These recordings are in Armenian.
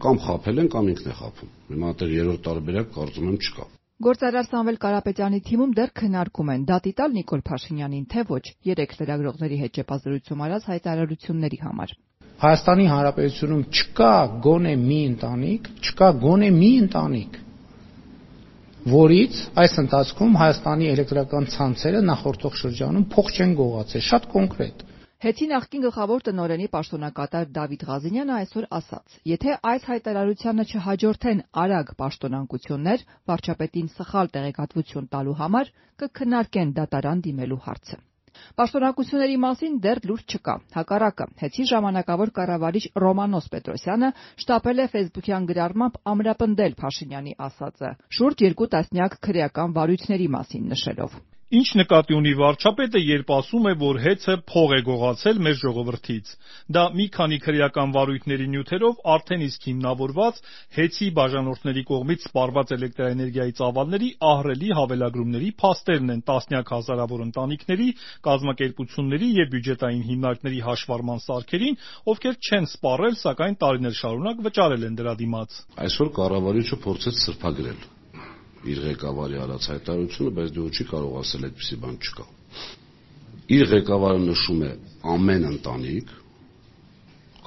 Կամ խաբել են, կամ ինքն է խաբում։ Հիմա դեռ երրորդ տարբերակ կարծում եմ չկա։ Գործարար Սամվել Կարապետյանի թիմում դեռ քննարկում են դատի տալ Նիկոլ Փաշինյանին, թե ոչ, երեք լրագրողների հետ ճեպազրույցում արած հայտարարությունների համար։ Հայաստանի Հանրապետությունում չկա գոնե մի ընտանիք, որից այս ընթացքում Հայաստանի էլեկտրական ցանցերը նախորդող շրջանում փող չեն գողացել, շատ կոնկրետ։ ՀԵՑ-ի նախկին գլխավոր տնօրենի պաշտոնակատար Դավիթ Ղազինյանը այսօր ասաց. եթե այս հայտարարությանը չհաջորդեն արագ պաշտոնանկություններ, վարչապետին սխալ տեղեկատվություն տալու համար, կքննարկեն դատարան դիմելու հարցը։ Պաշտոնակությունների մասին դեռ լուրջ չկա։ Հակառակը, ՀԵՑ-ի ժամանակավոր կառավարիչ Ռոմանոս Պետրոսյանը շտապել է ֆեյսբուքյան գրառմամբ ամրապնդել Փաշինյանի ասածը, շուրջ 2 տասնյակ քրեական վարույթների մասին նշելով. Ինչ նկատի ունի վարչապետը, երբ ասում է, որ ՀԵՑ-ը փող է գողացել մեր ժողովրդից։ Դա մի քանի քրեական վարույթների նյութերով արդեն իսկ հիմնավորված ՀԵՑ-ի բաժանորդների կողմից սպառված էլեկտրաէներգիայի ծավալների ահռելի հավելագրումների փաստերն են տասնյակ հազարավոր ընտանիքների, կազմակերպությունների եւ բյուջետային հիմնարկների հաշվառման սարքերին, ովքեր չեն սպառել, սակայն տարիներ շարունակ վճարել են դրա դիմաց։ Այսօր կառավարիչը փորձեց սրբագրել իր ղեկավարի արած հայտարարությունը, բայց դու չի կարող ասել այդպիսի բան չկա։ Իր ղեկավարը նշում է ամեն ընտանիք,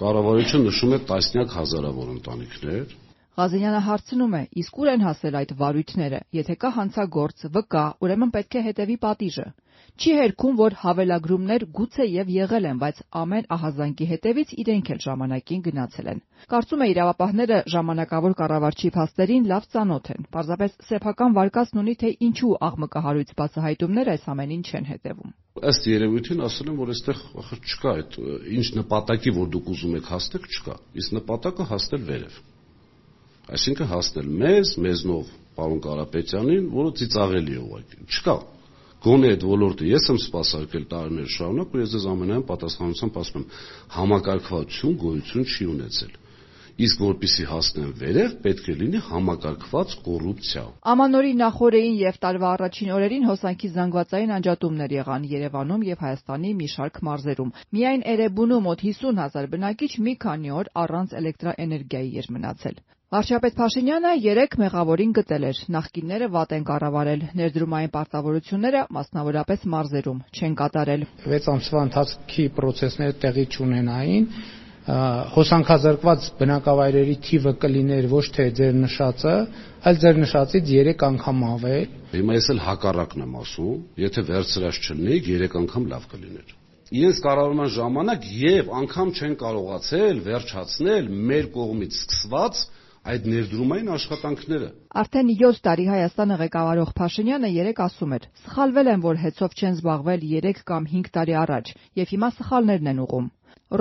կառավարիչը նշում է տասնյակ հազարավոր ընտանիքներ։ Ղազինյանը հարցնում է, իսկ ուր են հասել այդ վարույթները, եթե կա հանցագործ, վկա, ուրեմն պետք է հետևի պատիժը։ Չի հերքում, որ հավելագրումներ գուցե եւ եղել են, բայց ամեն ահազանգի հետևից իրենք էլ ժամանակին գնացել են։ Կարծում է իրավապահները ժամանակավոր կառավարչի փաստերին լավ ծանոթ են։ Պարզապես սեփական վարկածն ունի, թե ինչու աղմկահարույց բացահայտումներ այս ամենին չեն հետևում։ Ըստ երևույթին ասել են, որ այստեղ չկա այդ ինչ նպատակի, որ դուք ուզում եք հասնել, չկա։ Իսկ նպատակը հասնել վերև։ Այսինքն հասնել մեզնով պարոն Կարապետյանին, որը ծիծաղելի է ուղղակի։ Չկա։ Գոնե այդ ոլորտը ես եմ սպասարկել տարիներ շարունակ, ու ես ձեզ ամենայն պատասխանությամբ ասում եմ, համակարգվածություն գոյություն չի ունեցել։ Իսկ որպեսզի հասնեն վերև, պետք է լինի համակարգված կոռուպցիա։ Ամանորի նախօրեին եւ տարվա առաջին օրերին հոսանքի զանգվածային անջատումներ եղան Երևանում եւ Հայաստանի մի շարք մարզերում։ Միայն Էրեբունու մոտ 50,000 բնակիչ մի քանի օր առանց էլեկտրաէներգիայի էր մնացել։ Վարչապետ Փաշինյանը 3 մեղավորին գտել էր, նախկինները վատ են կառավարել, ներդրումային պարտավորությունները, մասնավորապես մարզերում, չեն կատարել։ 6 ամսվա ընթացքի process-ները տեղի չունենային, հոսանքազրկված բնակավայրերի թիվը կլիներ ոչ թե ձեր նշածը, այլ ձեր նշածից 3 անգամ ավել։ Հիմա ես էլ հակառակն եմ ասում, եթե վերցրած չլինեիք, 3 անգամ լավ կլիներ։ Իրենց կառավարման ժամանակ եւ անգամ չեն կարողացել վերջացնել մեր կողմից սկսված այդ ներդրումային աշխատանքները։ Արդեն 7 տարի Հայաստանը ղեկավարող Փաշինյանը 3 ասում էր. սխալվել են, որ ՀԵՑ-ով չեն զբաղվել 3 կամ 5 տարի առաջ, եւ հիմա սխալներն են ուղում։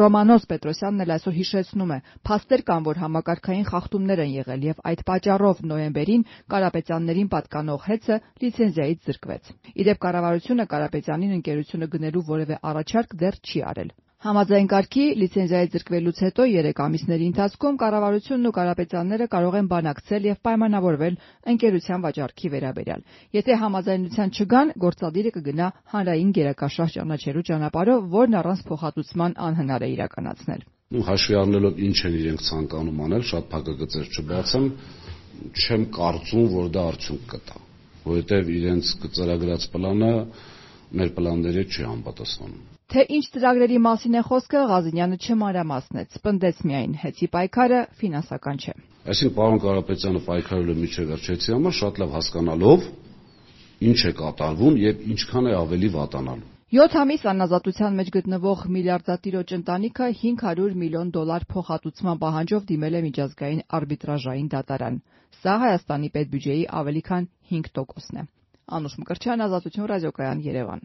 Ռոմանոս Պետրոսյանն էլ այսօր հիշեցնում է, փաստեր կան, որ համակարգային խախտումներ են եղել եւ այդ պատճառով նոյեմբերին Կարապետյաններին պատկանող ՀԵՑ-ը լիցենզիայից զրկվեց։ Իդեպ կառավարությունը Կարապետյանին ընկերությունը գնելու որևէ առաջարկ դեռ չի արել։ Համաձայն կարգի լիցենզիայից զրկվելուց հետո 3 ամիսների ընթացքում կառավարությունն ու Կարապետյանները կարող են բանակցել եւ պայմանավորվել ընկերության վաճառքի վերաբերյալ։ Եթե համաձայնության չգան, գործադիրը կգնա հանրային գերակաշարժ ճանաչելու ճանապարհով, որն առանց փոխհատուցման անհնար է իրականացնել։ Հաշվի առնելով ինչ են իրենք ցանկանում անել, շատ փակագծեր չբացեմ, չեմ կարծում, որ դա արդյունք կտա, որովհետեւ իրենց ծրագրած պլանը մեր պլանների չի համապատասխանում։ Թե ինչ ծրագրերի մասին է խոսքը, Ղազինյանը չմանրամասնեց, պնդեց միայն ՀԵՑ-ի պայքարը ֆինանսական չէ։ Այսինքն պարոն Կարապետյանը պայքարել է միջև վերջեցի համար, շատ լավ հասկանալով ինչ է կատարվում եւ ինչքան է ավելի վատանալու։ 7 ամիս անազատության մեջ գտնվող միլիարդատիրոջ ընտանիքը $500 միլիոն փոխհատուցման պահանջով դիմել է միջազգային արբիտրաժային դատարան։ Սա Հայաստանի պետբյուջեի ավելի քան 5%-ն է։ Անուշ Մկրտչյան, Ազատություն ռադիոկայան, Երևան։